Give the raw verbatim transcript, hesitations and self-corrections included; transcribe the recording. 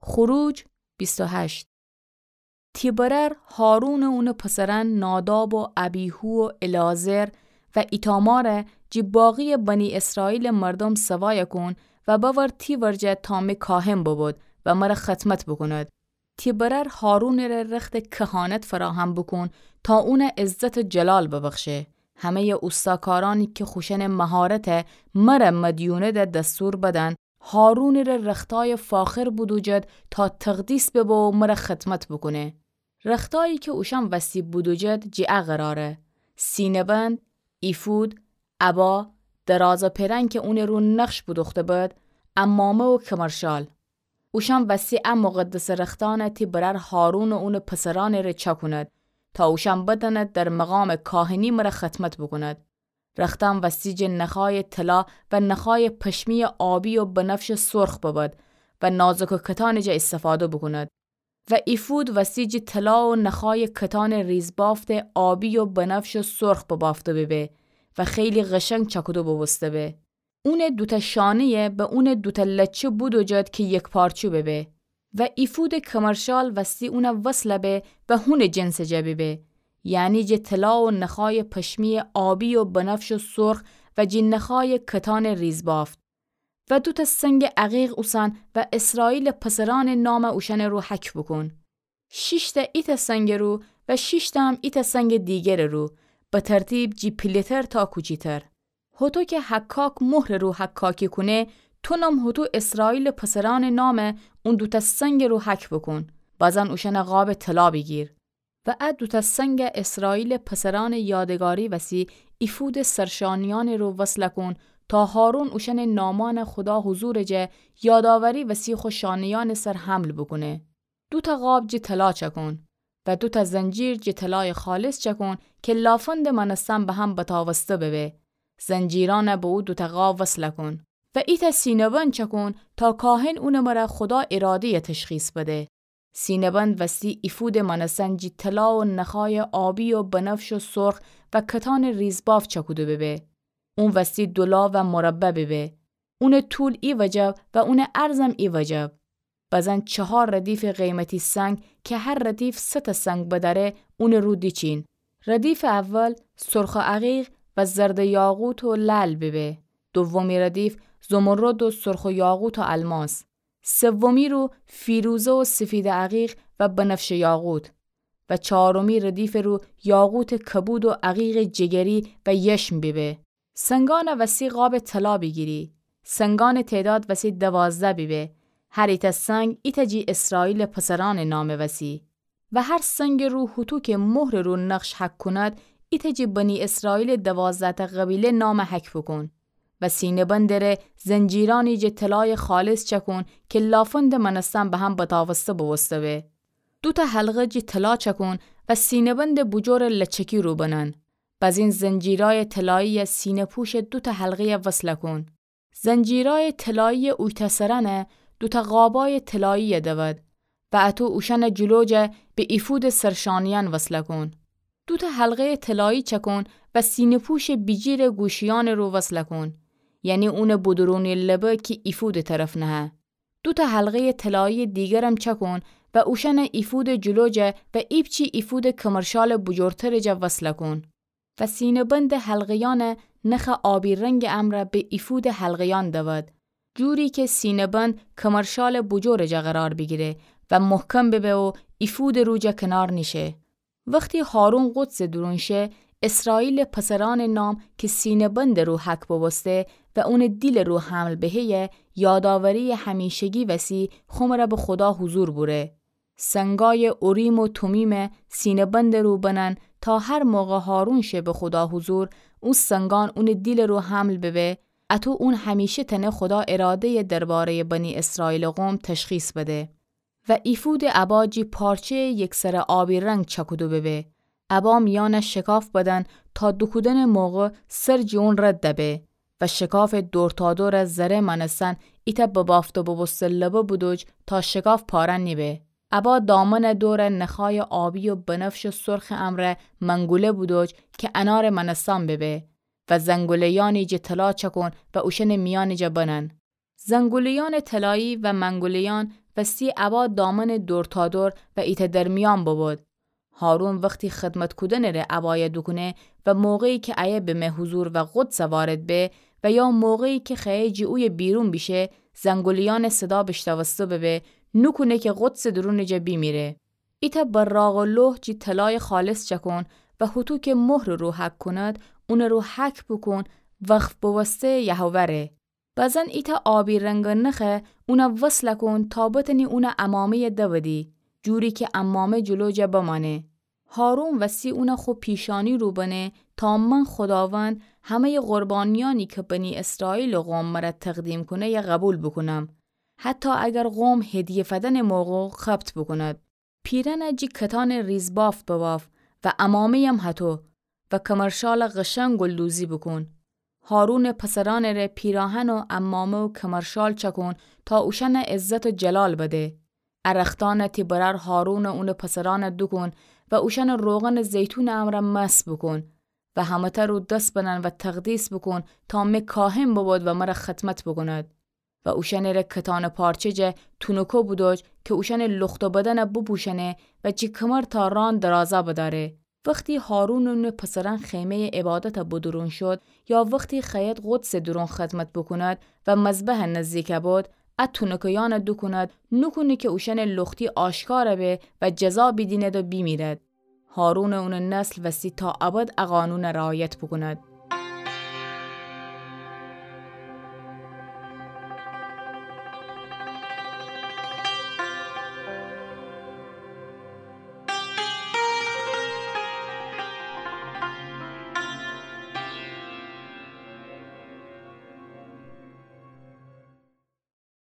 خروج بیست و هشت. تی برأر هارون و اونٚ پسرأن ناداب و ابیهو و العازر و ایتامار جی باقیٚ بنی اسرائیلٚ مردوم سوای کون و بأور تی ورجه تا می کاهن ببود و مر خدمت بوکوند. تی برأر هارونٚ ره رختٚ کهانت فراهم بوکون تا اون عزت و جلال ببخشه. همه‌یٚ اوستاکارأنی کی خوشأنٚ مهارت مر مدیونده دستور بدن، هارونٚ ره رختایٚ فاخر بودوجد تا تقدیس ببه و مر خدمت بوکونه. رختایی کی اوشأن وستی بودوجد جی ا قراره: سینه‌بند، ایفود، عبا، درازٚ پرنگ کی اونٚ رو نقش بودوخته بد، عمامه و کمرشال. اوشأن وستی ا مقدسٚ رختأن تی برأر هارون و اونٚ پسرأنٚ ره چأکوند تا اوشأن بتأند در مقامٚ کاهنی مر خدمت بوکوند. رختأن وستی جٚه نخایٚ طلا و نخایٚ پشمی‌یٚ آبی و بنفشٚ سرخ ببد و نازک و کتانٚ جا ایستفاده بوکوند. و ایفود وستی جٚه طلا و نخایٚ کتانٚ ریزبافت آبی و بنفش و سرخ ببافته ببه و خیلی قشنگ چأکوده بوبوسته به. اونٚ دوتأ شانه‌یه به اونٚ دوتأ لچه بودوجد کی یکپارچو ببه. و ایفودٚ کمرشال وستی اون وصل به و هونٚ جنسٚ جا ببه، یعنی جٚه طلا و نخایٚ پشمی‌یٚ آبی و بنفش و سرخ و جٚه نخایٚ کتانٚ ریزبافت. و دوتأ سنگٚ عقیق اوسن و اسرائیلٚ پسرأنٚ نام اوشأنٚ رو حک بوکون. شیشتأ ایتأ سنگٚ رو و شیشتأ هم ایتأ سنگٚ دیگرٚ رو، به ترتیب جٚه پیله‌تر تا کوچیتر. هوطو کی حکاک مهرٚ رو حکاکی کونه، تونم هوطو اسرائیلٚ پسرأنٚ نام اون دوتأ سنگٚ رو حک بوکون. بازن اوشأن قابٚ طلا بیگیر. و ا دوتأ سنگ اسرائیلٚ پسرأنٚ یادگاری وسی ایفودٚ سرشانه‌یأنٚ رو وصل کون تا هارون اوشأنٚ نامأن خودا حضورٚ جا یادآوری وسی خو شانه‌یأنٚ سر حمل بوکونه. دوتأ قاب جٚه طلا چأکون و دوتأ زنجیر جٚه طلایٚ خالص چأکون کی لافندٚ مأنستن به هم بتاوسته ببه. زنجیرأن به او دوتأ قاب وصل کون و ایتأ سینه‌بند چأکون تا کاهن اونٚ مره خودا اراده‌یٚ تشخیص بده. سینه‌بند وستی ایفودٚ مأنستن جٚه طلا و نخایٚ آبی و بنفش و سرخ و کتانٚ ریزبافت چأکوده ببه. اون وستی دولا و مربع ببه. اونٚ طول ای وجب و اونٚ عرضم ای وجب. بزن چهار ردیفٚ قیمتی سنگ کی هر ردیف سه‌تأ سنگ بدأره اونٚ رو دیچین. ردیفٚ اول سرخٚ عقیق و زردٚ یاقوت و لعل ببه. دومی ردیف زمرد و سرخٚ یاقوت و الماس. سومی رو فیروزه و سفیدٚ عقیق و بنفشٚ یاقوت. و چهارمی ردیفٚ رو یاقوتٚ کبود و عقیقٚ جگری و یشم ببه. سنگأن وسی قابٚ طلا بیگیری. سنگأنٚ تعداد وسی دوازده ببه. هر ایتأ سنگ ایتأ جٚه اسرائیلٚ پسرأنٚ نام وسی. و هر سنگٚ رو هوطو کی مهرٚ رو نقش حک کند، ایتأ جٚه بنی اسرائیلٚ دوازده‌تأ قبیله نام حک بوکون. و سینه‌بندٚ ره زنجیرأنی جٚه طلایٚ خالص چأکون کی لافندٚ مأنستن به هم بتاوسته بوبوسته به. دوتأ حلقه جٚه طلا چأکون و سینه‌بندٚ بوجورٚ لچکی رو بنن. بزین زنجیرأیٚ طلایی‌یٚ سینه‌پوشٚ دوتأ حلقه‌یٚ وصل کون. زنجیرأیٚ طلایی‌یٚ اویتأ سرأنٚ دوتأ قابأیٚ طلایی‌یٚ دود و اطو اوشأنٚ جلو جا به ایفودٚ سرشانه‌یأن وصل کون. دوتأ حلقه‌یٚ طلایی چأکون و سینه‌پوشٚ بیجیرٚ گوشیأنٚ رو وصل کون. یعنی اونٚ بودورونی لبه کی ایفودٚ طرف نهه. دوتأ حلقه‌یٚ طلایی‌یٚ دیگرم چأکون و اوشأن ایفودٚ جلو جا و ایپچی ایفودٚ کمرشالٚ بوجورترٚ جا وصل کون. و سینه‌بندٚ حلقه‌یأنٚ نخٚ آبی رنگٚ امرأ به ایفودٚ حلقه‌یأن دود، جوری کی سینه‌بند کمرشالٚ بوجورٚ جا قرار بیگیره و محکم ببه و ایفودٚ رو جا کنار نیشه. وختی هارون قدسٚ دورون شه، اسرائیلٚ پسرأنٚ نام کی سینه‌بندٚ رو حک بوبوسته و اونٚ دیلٚ رو حمل بهه‌یه، یادآوری‌یٚ همیشگی وسی خو مره به خودا حضور بوره. سنگأیٚ اوریم و تومیم سینه‌بندٚ رو بنن تا هر موقع هارون شه به خودا حضور، او سنگأن اونٚ دیلٚ رو حمل ببه، اطو اون همیشه تأنه خودا اراده‌یٚ درباره‌یٚ بنی اسرائیلٚ قوم تشخیص بده. و ایفودٚ عبا جٚه پارچه‌یٚ یکسره آبی رنگ چأکودو ببه. عبا میأن شکاف بدن تا دوکودنٚ موقع سر جٚه اون رد دبه. و شکافٚ دور تا دور زره مأنستن ایتأ ببافته بوبوسته لبه بودوج تا شکاف پاره نیبه. عبا دامنٚ دور نخای آبی و بنفش و سرخٚ امرأ منگوله بودوج کی انارٚ مأنستن ببه. و زنگوله‌یأنی جٚه طلا چأکون و اوشأنٚ میأنٚ جا بنن. زنگوله‌یأنٚ طلایی و منگوله‌یأن وستی عبا دامأنٚ دورتادور و ایتأ درمیأن ببود. هارون وختی خدمت کودنٚ ره عبایه دوکونه و موقعی کی ایه بمه حضور و قدس وارد به و یا موقعی کی خوأیه جٚه اویه بیرون بیشه، زنگولیأنٚ صدا بیشنوسته ببه، نوکونه کی قدسٚ دورونٚ جا بیمیره. ایتأ براقٚ لوح جٚه طلایٚ خالص چأکون و هوطو کی مهرٚ رو حک کونید، اونٚ رو حک بوکون، وقف بوسته یهوه ره. بزن ایتأ آبی رنگٚ نخه اون وصل کون تا بتأنی اونٚ عمامه‌یه دودی، جوری کی عمامه جلو جا بمأنه. هارون وستی اون خو پیشانی رو بنه تا من خوداوند همه‌یٚ قربانیأنی کی بنی اسرائیلٚ قوم مر تقدیم کونه‌یه قبول بوکونم، حتی اگر قوم هدیه فدنٚ موقع خبط بوکوند. پیرأنه جٚه کتانٚ ریزبافت بباف و عمامه‌یم هطو و کمرشال قشنگ گلدوزی بوکون. هارونٚ پسرأنٚ ره پیراهن و عمامه و کمرشال چأکون تا اوشأن عزت و جلال بده. ا رختأن تی برأر هارون و اونٚ پسرأن دوکون و اوشأن روغنٚ زیتونٚ امرأ مسح بوکون و همه‌تأ رو دس بنن و تقدیس بوکون تا می کاهن ببود و مر خدمت بوکوند. و اوشأنٚ ره کتانٚ پارچه جا تونکه بودوج کی اوشأنٚ لخت و بدن بوپوشأنه و جٚه کمر تا ران درازا بدأره. وختی هارون و اونٚ پسرأن خیمه‌یٚ عبادت بدورون شود یا وختی خوأید قدسٚ دورون خدمت بوکوند و مذبح نزدیک بود، ا تونکه‌یأن دوکوند، نوکونه کی اوشأنٚ لختی آشکار به و جزا بیدیند و بیمیرد. هارون و اونٚ نسل وستی تا ابد ا قانون رعایت بوکوند.